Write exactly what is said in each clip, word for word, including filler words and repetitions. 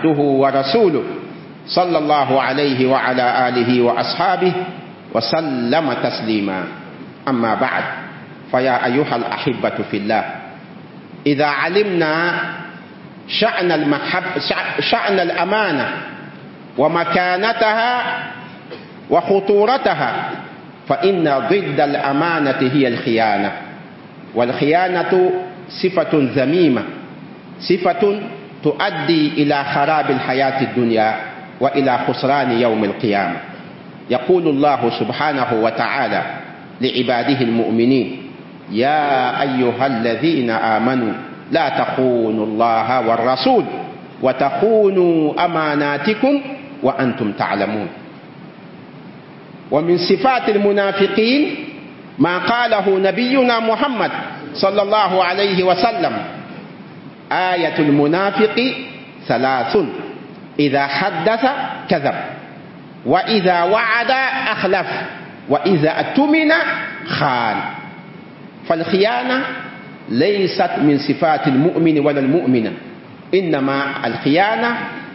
عبده ورسوله صلى الله عليه وعلى آله وأصحابه وسلم تسليما. أما بعد، فيا أيها الأحبة في الله، إذا علمنا شأن المحب شأن الأمانة ومكانتها وخطورتها، فإن ضد الأمانة هي الخيانة، والخيانة صفة ذميمة، صفة تؤدي إلى خراب الحياة الدنيا وإلى خسران يوم القيامة. يقول الله سبحانه وتعالى لعباده المؤمنين: يا أيها الذين آمنوا لا تخونوا الله والرسول وتخونوا أماناتكم وأنتم تعلمون. ومن صفات المنافقين ما قاله نبينا محمد صلى الله عليه وسلم: آية المنافق ثلاث: إذا حدث كذب، وإذا وعد أخلف، وإذا اؤتمن خان. فالخيانة ليست من صفات المؤمن ولا المؤمنة، إنما الخيانة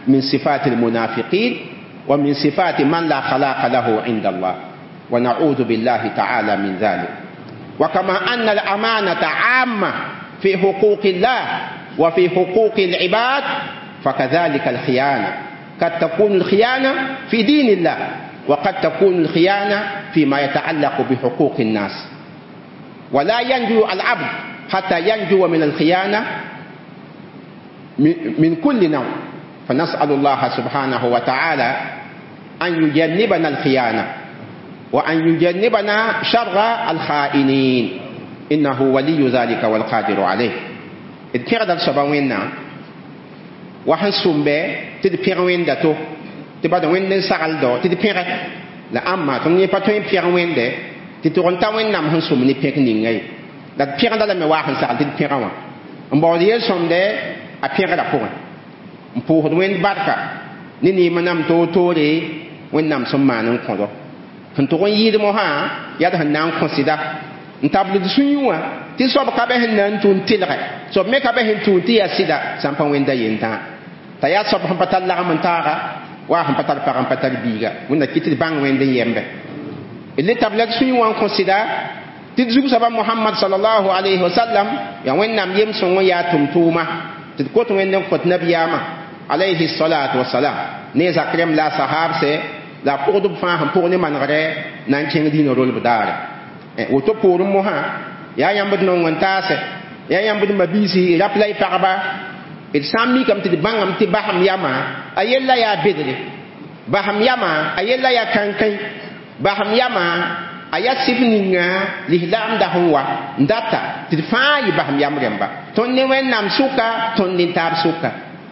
من صفات المنافقين ومن صفات من لا خلاق له عند الله، ونعوذ بالله تعالى من ذلك. وكما أن الأمانة عامة في حقوق الله وفي حقوق العباد، فكذلك الخيانة قد تكون الخيانة في دين الله، وقد تكون الخيانة فيما يتعلق بحقوق الناس. ولا ينجو العبد حتى ينجو من الخيانة من كل نوع. فنسأل الله سبحانه وتعالى أن يجنبنا الخيانة وأن يجنبنا شر الخائنين، إنه ولي ذلك والقادر عليه. D pẽgda d soaba Wẽnnaam wa sẽn sʋmbe tɩ d pẽg Wẽnda to tɩ bad Wẽnd n sagldo tɩ d pẽge la ãmba tõnd yẽ pa tõe n pẽg Wẽnde tɩ tʋg n ta Wẽnnaam sẽn sʋm ne pẽk ninga ye. La d pẽgda lame waa sẽn sagl tɩ d pẽgã wã n baood yel-sõmde a pẽgrã pʋgẽ n pʋʋsd Wẽnd barka ne neem nam toor-toore Wẽnnaam sẽn maan n kõdo sẽn tʋg n yɩɩd mosã yaa d sẽn na n kõ sɩda n tabl d sũyẽ wã tɩ soab ka bɛ sẽn na n tũ n tɩlgɛ soab me ka bɛ sẽn tũ tɩ yaa sɩda sã n pa Wẽnda yentã t'a yaa soab sẽn pa tar lagem n taaga wa sẽn pa tar pag n pa tar biiga Wẽnda kɩ tɩ d bãng Wẽnd n yembe d le tabla d sũyẽ wã n kõ sɩda tɩ d zug-soaba Mohamad sallallahu alayhi wa sallam yaa Wẽnnaam yem-sõng n yaa tʋm-tʋʋma tɩ d kot Wẽnd n kõt nabiyaamã alayhi salatu wasalam ne zak rẽmb la a sahaabsɛ la a pʋgdb fãa sẽn pʋg ne manegre na n kẽng dĩinã rolb daare. Woto poorẽ mosã yaa yãmb d nong n taasɛ yaa yãmb d mabiisi rap la y pagba d sã n mikame tɩ d bãngame tɩ basem yamã a yella yaa bedre, basem yamã a yella yaa kãnkãĩ, basem yamã a yaa sɩf ninga lislaamda sẽn wa n data tɩ d fãa yɩ basem yam rẽmba tõnd ne Wẽnnaam sʋka tõnd ne taab sʋka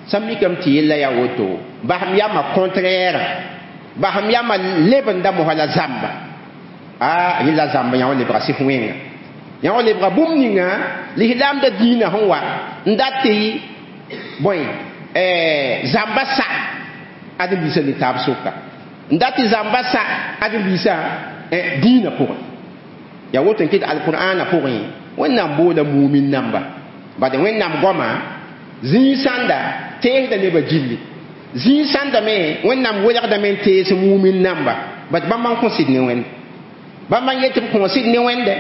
sã n mikame tɩ yella yaa woto basem yamã contraire basem yamã lebenda mosã la zãmba a yella zãmba yã wa lebga sɩf wẽnga yã wa lebga bũmb ninga lislaamda dĩinã sẽn wa n dat tɩ bõe zãmba sa ãdem-biisã ne taab sʋka n dat tɩ zãmba sa ãdem-biisã dĩinã pʋgẽ yaa woto n kɩt alqur'ana pʋgẽ Wẽnnaam boola mumin namba bad Wẽnnaam goama zĩig sãnda teesda nebã gilli zĩig sãnda me Wẽnnaam welgdame n tees mumin namba bad bãmb n kõ sɩd ne Wẽnd bãmb n yet b kõ sɩd ne Wẽnde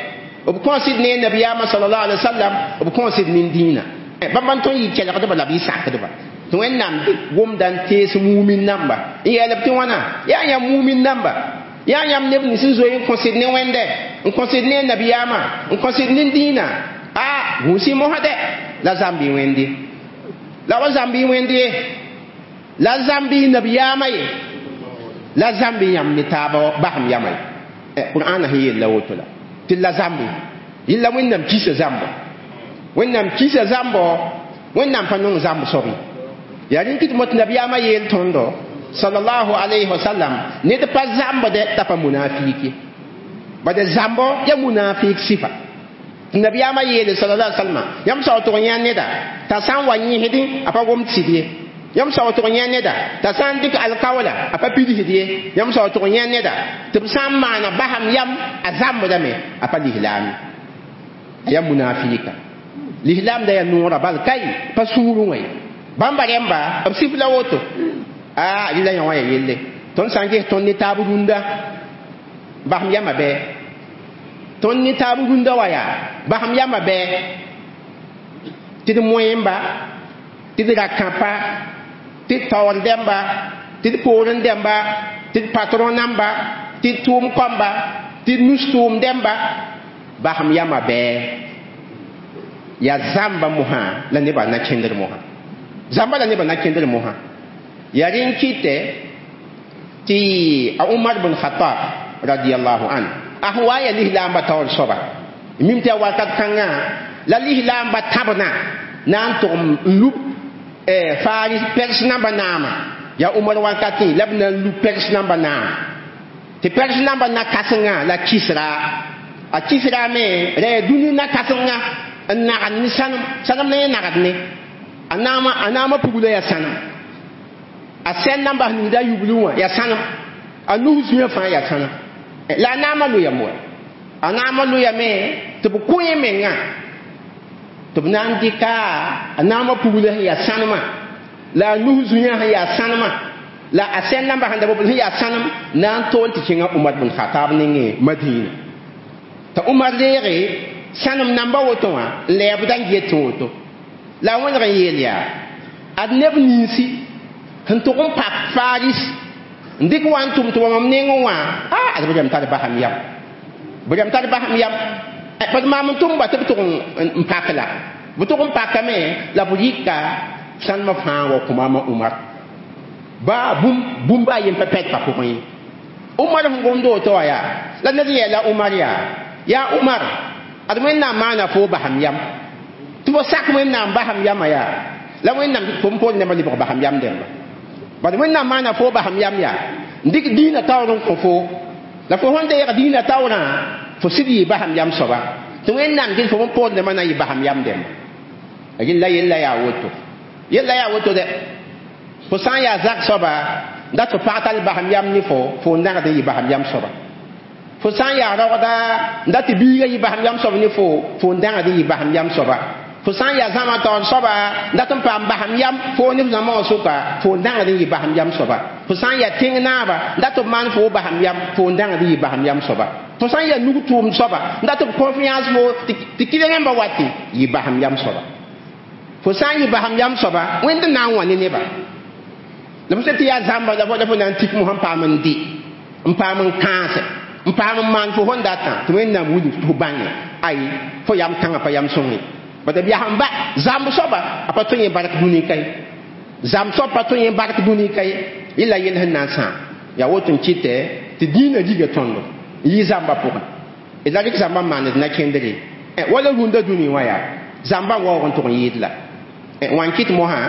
b kõ sɩd ne nabiyaamã sallallahu alaihi wasallam b kõ sɩd ne dĩinã bãmb n tõe n yɩ kelgdba la b yɩ sakdba tɩ Wẽnnaam dɩk gomda n tees mumin namba n yeelb tɩ wãna yaa yãmb mumin namba yaa yãmb neb nins n zoe n kõ sɩd ne Wẽnde n kõ sɩd ne nabiyaamã n kõ sɩd ne dĩinã a gũus-y mosã dɛ la zãmb y Wẽnde la wa zãmb y Wẽnd ye la zãmb y nabiyaamã ye la zãmb y yãmb ne taaba basem yamã ye Qur'ana sẽn yella woto la tɩ la zãmbe yella Wẽnnaam kisa zãmbo Wẽnnaam kisa zãmbo Wẽnnaam pa nong zãmb soab ye yaa rẽn kɩ tɩ mot nabiyaamã yeel tõndo sallallahu alayhi wa sallam ned pa zãmbdɛ t'a pa munafik ye bad zãmbo ya munafik sɩfa tɩ nabiyaamã yeele sallallahu alayhi wa sallam yãmb sao tʋg yã neda t'a sã n wa yẽsdẽ a pa gomd sɩd ye yãmb sao tʋg yã neda t'a sã n dɩk alkaoola a pa pidsd ye yãmb sao tʋg yã neda tɩ b sã n maana basem yam a zãmbdame a pa lislaam ye a yaa munafika lislaamda yaa noorã bal kai pa sũurẽ wã ye Bãmba rẽmba b sif la woto a rɩla yã wã ya yelle tõnd sã n ges tõnd ne taab rũndã basem yama bɩ tõnd ne taab rũndã wa yaa basem yama bɩ tɩ d moẽmba tɩ d ra-kãpa tɩ d taoor dẽmba tɩ d poorẽ dẽmba tɩ d patron namba tɩ d tʋʋm kõmba tɩ d nus tʋʋm dẽmba basem yama bɩ yaa zãmba mosã la nebã na kẽndr mosã zãmba la nebã na kẽndr mosã yaa rẽ n kɩtɛ tɩ a Umar bn Khattab radiallahu an a sẽn wa n yaa lislaambã taoor soaba mim tɩ yaa wakat kãngã la lislaambã tãbna na n tʋg n lub Faris Pɛrs namba naama yaa Umar wakatẽ la b na n lub Pɛrs namba naam tɩ Pɛrs namba na-kãsengã la Kisra a Kisra me ra yaa dũni na-kãsengã n nagd ne sãnem sãnem la yẽ nagd ne a naama a naamã pugla yaa sãnem a sɛn namba sẽn ningda a yublu wã yaa sãnem a nus zũyã fãa yaa sãnem la a naamã loyame wa a naamã loyame tɩ b kõ yẽ mengã tɩ b na n dɩka a naamã pugla sẽn yaa sãnemã la a nus zũyã sẽn yaa sãnemã la a sɛn namba sẽn da bobl sẽn yaa sãnem na n tool tɩ kẽngã Umar bn Khatab nengẽ Madina t'a Umar deege sãnem namba woto wã n lɛɛbda n get woto la a wẽneg n yeel yaa ad neb ninsi sẽn tʋg n pak Faris n dɩk wa n tʋm tɩ wa mam nengẽ wã a ad b rãmb tar basem yam b rãmb tar basem yam bad maam n tʋmba tɩ b tʋg n pak la b tʋg n pakame la b rɩka sãnemã fãa wa kõ maama Umar baa bũmb a yen pa pɛd pa pʋgẽ ye Umar sẽn gomd woto wã yaa la ned yɛɛla Umar yaa yaa Umar ad Wẽnnaam maana fo basem yam tɩ fo sak Wẽnnaam basem yamã yaa la Wẽnnaam fo n poor nembã lebg basem yam dẽmba bad Wẽnnaam maana fo basem yam yaa n dɩk dĩinã taoor n kõ fo la fo sẽn deeg dĩinã taoorã fo sɩd yɩ basem yam soaba tɩ Wẽnnaam gɩl fo n poor nembã na n yɩ basem yam dẽmba rẽnd la yella yaa woto yella yaa woto dɛ fo sã n yaa zak soaba dat fo pag tall basem yam ne fo fo n nagd n yɩ basem yam soaba fo sã n yaa raoogda n dat tɩ biigã yɩ basem yam soab ne fo fo n dãgd n yɩ basem yam soaba fo sã n yaa zãma taoor soaba dat n paam basem yam fo ne f zãma wã sʋka fo n dãgd n yɩ basem yam soaba fo sã n yaa tẽng naaba dat b maan fo basem yam fo n dãgd n yɩ basem yam soaba fo sã n yaa nug tʋʋmd soaba dat b confiance fo tɩ kɩ rẽmba wat yɩ basem yam soaba fo sã n yɩ basem yam soaba Wẽnd na n wã ne neba la fo sã tɩ yaa zãmba la fo la fo na n tik mosã n paam n dɩ n paam n kãase n paam n maan fo sẽn datã tɩ Wẽnnaam wilg tɩ fo bãnge ay fo yam kãngã pa yam sõng ye bad b yaa ba zãmb soaba a pa tõe yẽ bark dũni ka ye zãmb soab pa tõe yẽ bark dũni ka ye yella yell sẽn na n sãam yaa woto n kɩtɛ tɩ dĩinã riga tõndo n yɩ zãmbã pʋgẽ d la rɩk zãmbã n maand d na-kẽndre wala rũndã dũni wã yaa zãmbã n waoog n tʋg n yɩɩd la wã n kɩt mosã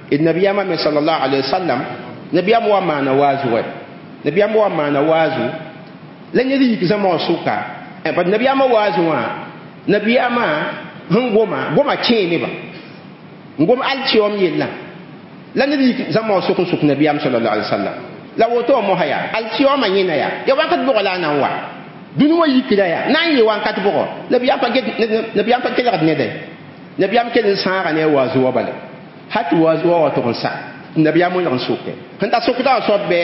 d nabiyaamã me sallallahu alayhi wa sallam nabiyaam wa maana waazu wɛ nabiyaam wa maana waazu la ned yik zãma wã sʋka bad nabiyaamã waazu wã nabiyaamã sẽn goma goma kẽe neba n gom altiom yellã la ned yik zãma wã sʋk n sʋk nabiyaam sallallahu alayhi wa sallam la woto wã mosã yaa altioma yẽna yaa ya wakat bʋgɔ la a na n wa dũni wã yikra yaa na n yɩ wakat bʋgɔ nabiyaam pa kelgd neda nabiyaam kell n sãaga ne a waazu wã bala ha tɩ waazu wã wa tʋg n sa nabiyaam wẽneg n sʋke sẽn ta sʋkda wã soab bɩ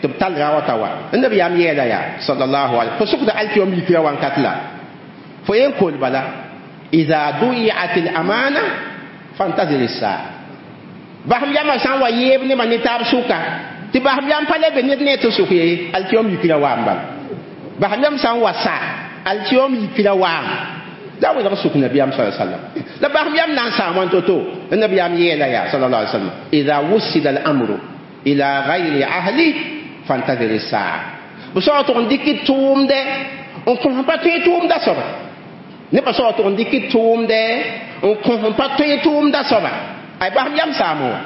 tɩ b tall ra wa ta wa nabiyaam yeela yaa sallallahu alayhi fo sʋkda altiom yikra wakat la fo yen kol bala idha duyiat al-amana fantazir as-saa basem yamã sã n wa yeeb nebã ne taab sʋka tɩ basem yam pa le be ned ne tɩ sʋk ye altiom yikra waam bala basem yam sã n wa sa altiom yikra waam la wẽneg sʋk nabiyaam sa sallam la basem yam na n saam wãn to-to nabiyaam yeela yaa sallallahu alaihi wasallam idha wusida al-amru ila ghayri ahli fantazir as-saa b soa tʋg n dɩk tʋʋmdɛ n kõ pa tõe tʋʋmda soaba nebã soa tʋg n dɩk tʋʋmdɛ n kõ pa tõe tʋʋmda soaba ay basem yam saamo wã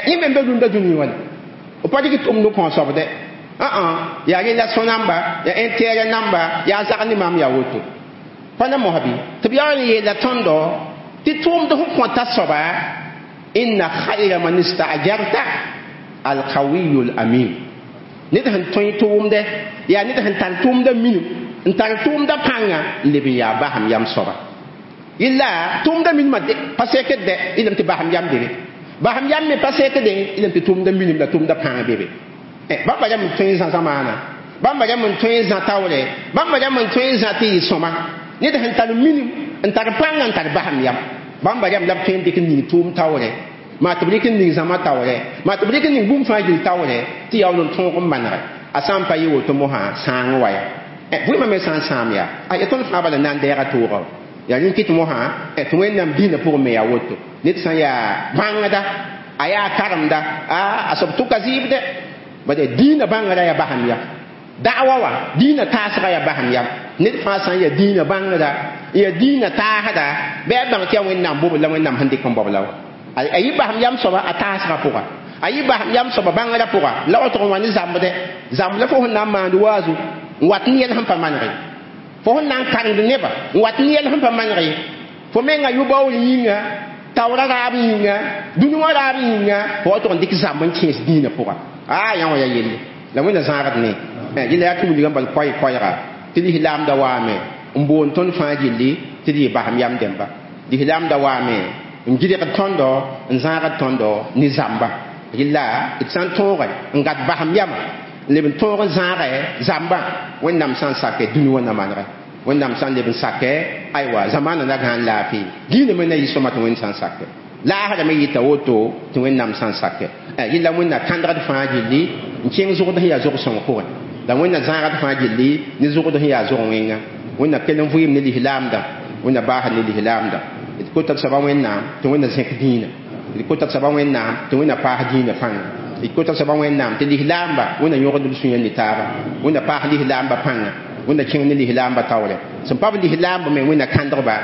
yẽ me n be rũndã dũni wã b pa dɩk tʋʋmd n kõ soab dɛ ã yaa rẽ la sõ namba yaa intérêt namba yaa zag ne maam yaa woto pa na mosã bɩ tɩ b yaa n yeela tõndo tɩ tʋʋmd sẽn kõta soaba inna khayra man istaajarta alqawiyu alamin ned sẽn tõe tʋʋmdɛ yaa ned sẽn tar tʋʋmdã minim n tar tʋʋmdã pãnga n leb n yaa basem yam soaba yella tʋʋmdã minimã pa sekd dɛ yelame tɩ basem yam debe Basam yam me pa sekdẽ y tɩ tʋmda minim la tʋmda pãng be be. Bãmba rãmb n tõe n zã zamaana, bãmba rãmb n tõe n zã taoore, bãmba rãmb n tõe n zã tɩ yɩ sõma. Ned sẽn tar minim n tar pãnga n tar basam yam, bãmba rãmb la b tõe n dɩk n ning tʋʋm taoore, maa tɩ b rɩk n ning zãma taoore, maa tɩ b rɩk n ning bũmb fãa gill taoore tɩ yaool n tõog n manege. A sã n pa yɩ woto mosã sãang wa ya vɩɩmã me sã n sãam yaa a ya tõnd fãa bala na n dɛɛga toogã. Yaa rẽn kɩt mosã tɩ Wẽnnaam dĩinã pʋgẽ me yaa woto. Ned sã n yaa bãngda, a yaa karemda, a soab tʋka zɩɩbdɛ, bad dĩinã bãngrã yaa basam yam. Da'wa wã dĩinã taasgã yaa basam yam. Ned fãa sã n yaa dĩinã bãngda, yaa dĩinã taasda, bɩ a bãng tɩ yaa Wẽnnaam bobl la Wẽnnaam sẽn dɩk n baob la wã. A yɩ basam yam soaba a taasgã pʋga, a yɩ basam yam soaba bãngrã pʋga la wa tʋg n wa ne zambdɛ. Zamb la fo sẽn na n maand waazu n wat ne yɛl sẽn pa manege, fo sẽn na n karemd nebã n wat ne yɛl sẽn pa manege, fo menga yʋ-baoor yĩnga, taoora raab yĩnga, dũni wã raab yĩnga, fo wa tʋg n dɩk zãmb n kẽes dĩinã pʋga. A yã wã yaa yelle la Wẽnna zãagd ne yella yaa tũudgã bal koɛɛ-koɛɛga tɩ lislaamda waame n boond tõnd fãa gilli tɩ d yɩ basam yam dẽmba. Lislaamda waame n gɩdgd tõndo n zãagd tõndo ne zãmba. Yella d sã n tõoge n gat basam yama n leb n tõog n zãage zãmbã, Wẽnnaam sã n sake dũni wã na manege, Wẽnnaam sã n leb n sake aywa zamaana na gãan laafɩ, dĩinã me na yɩ sõma tɩ Wẽnd sã n sake, laasrã me yɩta woto tɩ Wẽnnaam sã n sake. Yella Wẽnna kãndgd fãa gilli n kẽng zʋgd sẽn yaa zʋg-sõng pʋgẽ, la Wẽnna zãagd fãa gilli ne zʋgd sẽn yaa zʋg wẽnga. Wẽnna kell n vɩɩm ne lislaamdã, Wẽnna baasd ne lislaamdã. D kota d soaba Wẽnnaam tɩ Wẽnna zẽk dĩinã, d kota d soaba Wẽnnaam tɩ Wẽnna paas dĩinã pãnga, d kota d soaba Wẽnnaam tɩ lislaamba Wẽnna yõgd b sũyã ne taaba, Wẽnna paas lislaamba pãnga, Wẽnna kẽng ne lislaamba taoore. Sẽn pa b lislaamba me Wẽnna kãndgba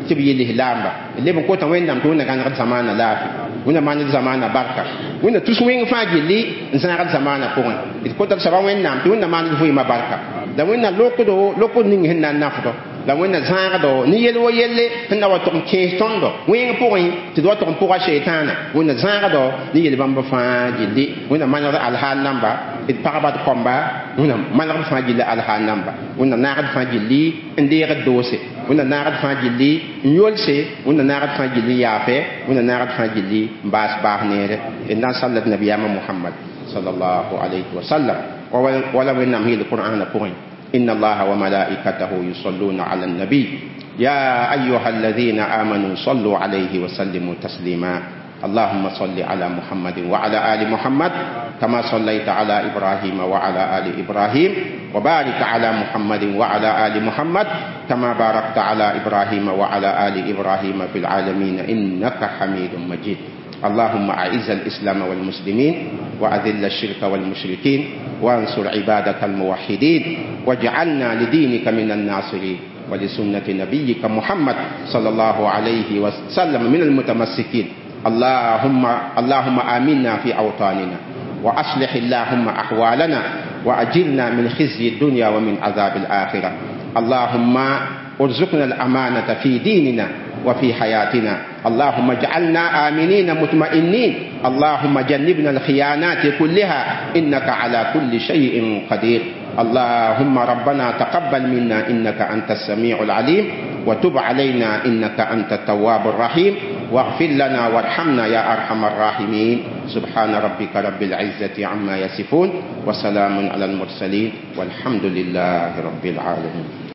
tɩ b yɩ lislaamba. D leb n kota Wẽnnaam tɩ Wẽnna gãnegd zamaana laafɩ, Wẽnna maand zamaana barka, Wẽnna tus wẽng fãa gilli n zãagd zamaana pʋgẽ. D kota d soaba Wẽnnaam tɩ Wẽnna maand vɩɩmã barka, la Wẽnna lokdo lokd ning sẽn na n nafdo, la Wẽnna zãagdo ne yel wa yelle sẽn na wa tʋg n kẽes tõndo wẽng pʋgẽ tɩ d wa tʋg n pʋga sheetãana. Wẽnna zãagdo ne yel bãmb fãa gilli, Wẽnna manegd alhaal namba, d pagba d kõmba, Wẽnna manegd fãa gilli alhaal namba, Wẽnna naagd fãa gilli n deegd doose, Wẽnna naagd fãa gilli n yolse, Wẽnna naagd fãa gilli n yaafe, Wẽnna naagd fãa gilli n baas baas neere. D na n sallad nabiyaamã Mohamad sallallahu alayhi wa sallam wala Wẽnnaam yeel Qur'aanã pʋgẽ: إن الله وملائكته يصلون على النبي يا أيها الذين آمنوا صلوا عليه وسلموا تسليما. اللهم صل على محمد وعلى آل محمد كما صليت على إبراهيم وعلى آل إبراهيم، وبارك على محمد وعلى آل محمد كما باركت على إبراهيم وعلى آل إبراهيم في العالمين إنك حميد مجيد. اللهم أعز الإسلام والمسلمين، وأذل الشرك والمشركين، وانصر عبادك الموحدين، واجعلنا لدينك من الناصرين، ولسنة نبيك محمد صلى الله عليه وسلم من المتمسكين. اللهم اللهم آمنا في أوطاننا، وأصلح اللهم أحوالنا، وأجرنا من خزي الدنيا ومن عذاب الآخرة. اللهم ارزقنا الأمانة في ديننا وفي حياتنا. اللهم اجعلنا آمنين مطمئنين. اللهم جنبنا الخيانات كلها، إنك على كل شيء قدير. اللهم ربنا تقبل منا إنك أنت السميع العليم، وتب علينا إنك أنت التواب الرحيم، واغفر لنا وارحمنا يا أرحم الراحمين. سبحان ربك رب العزة عما يصفون، وسلام على المرسلين، والحمد لله رب العالمين.